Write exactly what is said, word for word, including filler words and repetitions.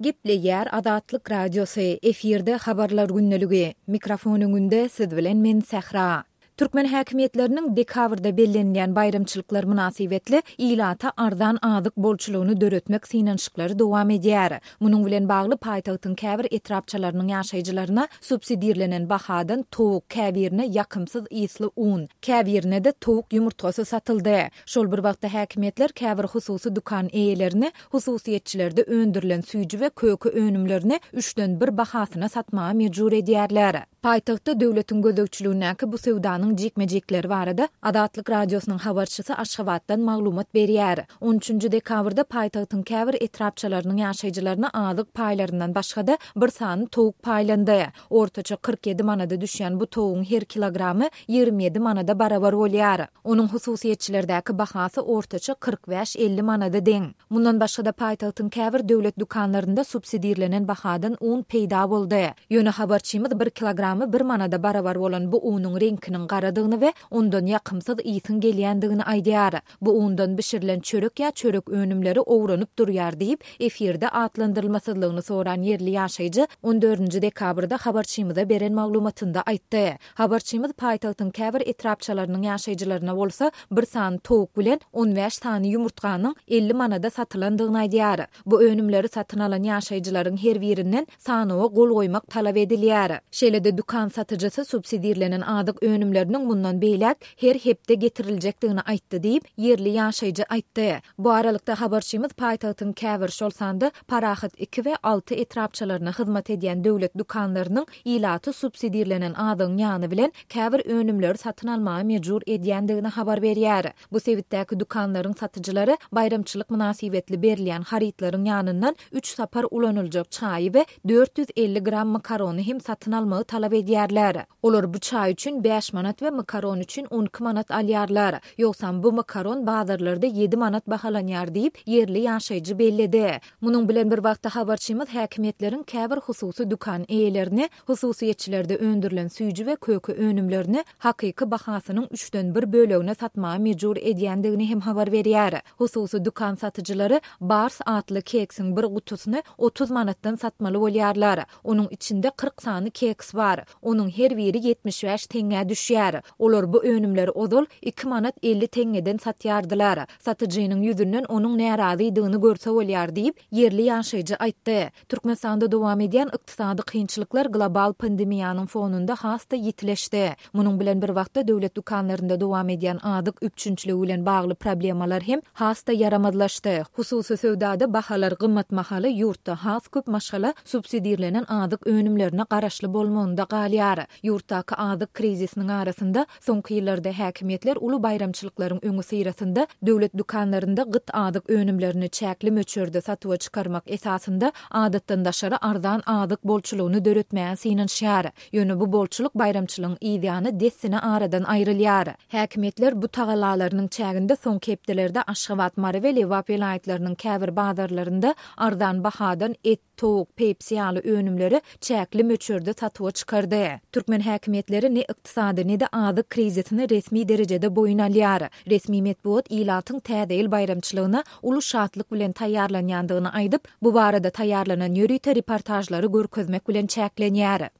Gepleýär Azatlyk Radiosy, efirde Habarlar gündeligi. Mikrofon öňünde siz bilen men Sähra. Türkmen häkimiýetleriniň dekabrda bellenilýän baýramçylyklar mynasybetli ilata arzan azyk bolçulygyny döretmek synanyşyklary dowam edýär. Munuň bilen bagly paýtagtyň käbir etrapçalarynyň ýaşaýjylaryna subsidirlenen bahadan towuk, käbirine ýakymsyz ysly un, käbirine-de towuk ýumurtgasy satyldy. Şol bir wagtda häkimiýetler käbir hususy dükan eýelerini hususyýetçilerde öndürilen süýji we köke önümlerini üçden bir bahasyna satmaga mejbur edýärler. Paýtagtda döwletiň gözegçiligindäki bu söwdanyň jikme-jikleri barada Azatlyk Radiosynyň habarçysy Aşgabatdan maglumat berýär. On üçünji dekabrda paýtagtyň käbir etrapçalarynyň ýaşaýjylaryna azyk paýlaryndan başga-da bir sany towuk paýlandy. Ortaça kyrk ýedi manada düşýän bu towugyň her kilogramy ýigrimi ýedi manada barabar bolýar. Onuň hususyýetçilerdäki bahasy ortaça kyrk bäş-elli manada deň. Mundan başga-da paýtagtyň käbir döwlet dükanlarynda subsidirlenen bahadan un peýda boldy. Ýöne habarçymyz bir kilogramy bir manada barabar bolan bu unuň reňkiniň garadygyny we ondan ýakymsyz ysyň gelýändigini aýdýar. Bu undan bişirilen çörek ýa çörek önümleri owranyp durýar diýip, efirde atlandyrylmasyzlygyny soran ýerli ýaşaýjy on dördünji dekabrda habarçymyza beren maglumatynda aýtdy. Habarçymyz paýtagtyň käbir etrapçalarynyň ýaşaýjylaryna bolsa bir sany towuk bilen on bäş sany ýumurtganyň elli manada satylandygyny aýdýar. Bu önümleri satyn alan ýaşaýjylaryň her birinden sanawa gol goýmak talap edilýär. Şeýle-de dükan satyjysy subsidirlenen azyk önümleriniň mundan beýläk her hepde getiriljekdigini aýtdy diýip, ýerli ýaşaýjy aýtdy. Bu aralykda habarçymyz paýtagtyň käbir, şol sanda Parahat iki we alty etrapçalaryna hyzmat edýän döwlet dükanlarynyň ilaty subsidirlenen azygyň ýany bilen käbir önümleri satyn almaga mejbur edýändigini habar berýär. Bu sebitdäki dükanlaryň satyjylary baýramçylyk mynasybetli berilýän harytlaryň ýanyndan üç sapar ulanyljak çaýy we dört ýüz elli gram makarony hem satyn almagy talap edýärler. Olar bu çaý üçin bäş manat we makaron üçin on iki manat alýarlar. Ýogsam bu makaron bazarlarda ýedi manat bahalanýar diýip, ýerli ýaşaýjy belledi. Munuň bilen bir wagtda habarçymyz häkimiýetleriň käbir hususy dükan eýelerini hususyýetçilerde öndürilen süýji we köke önümlerini hakyky bahasynyň üçden bir bölegine satmaga mejbur edýändigini hem habar berýär. Hususy dükan satyjylary Bars atly keksiň bir gutusyny otuz manatdan satmaly bolýarlar. Onuň içinde kyrk sany keks bar. Onuň her biri ýetmiş bäş teňňä düşýär. Olar bu önümleri ozal iki manat elli teňňeden satýardylar. Satyjynyň ýüzünden onuň närazydygyny görse bolýar diýip, ýerli ýaşaýjy aýtdy. Türkmenistanda dowam edýän ykdysady kynçylyklar global pandemiýanyň fonunda has-da ýitileşdi. Munuň bilen bir wagtda döwlet dükanlarynda dowam edýän azyk üpjünçiligi bilen bagly problemalar hem has-da ýaramazlaşdy. Hususy söwdada bahalar gymmat mahaly ýurtda has köp maşgala subsidirlenen azyk önümlerine garaşly bolmagynda galýar. Ýurtdaky azyk krizisiniň arasynda soňky ýyllarda häkimiýetler uly baýramçylyklaryň öňi syrasynda döwlet dükanlarynda gyt azyk önümlerini çäkli möçberde satuwa çykarmak esasynda adatdan daşary arzan azyk bolçulygyny döretmäge synanyşýar. Ýöne bu bolçulyk baýramçylygyň yzýany dessine aradan aýrylýar. Häkimiýetler bu tagallalarynyň çäginde soňky hepdelerde Aşgabat, Mary we Lebap welaýatlarynyň käbir bazarlarynda arzan bahadan et, towuk, pepsi ýaly önümleri çäkli möçberde satuwa çykardy. Türkmen häkimiýetleri ne ykdysady, ne-de azyk krizisini resmi derejede boýun alýar. Resmi metbugat ilatyň täze ýyl baýramçylygyna uly şatlyk bilen taýýarlanýandygyny aýdyp, bu barada taýýarlanan ýörite reportažlary görkezmek bilen çäklenýär.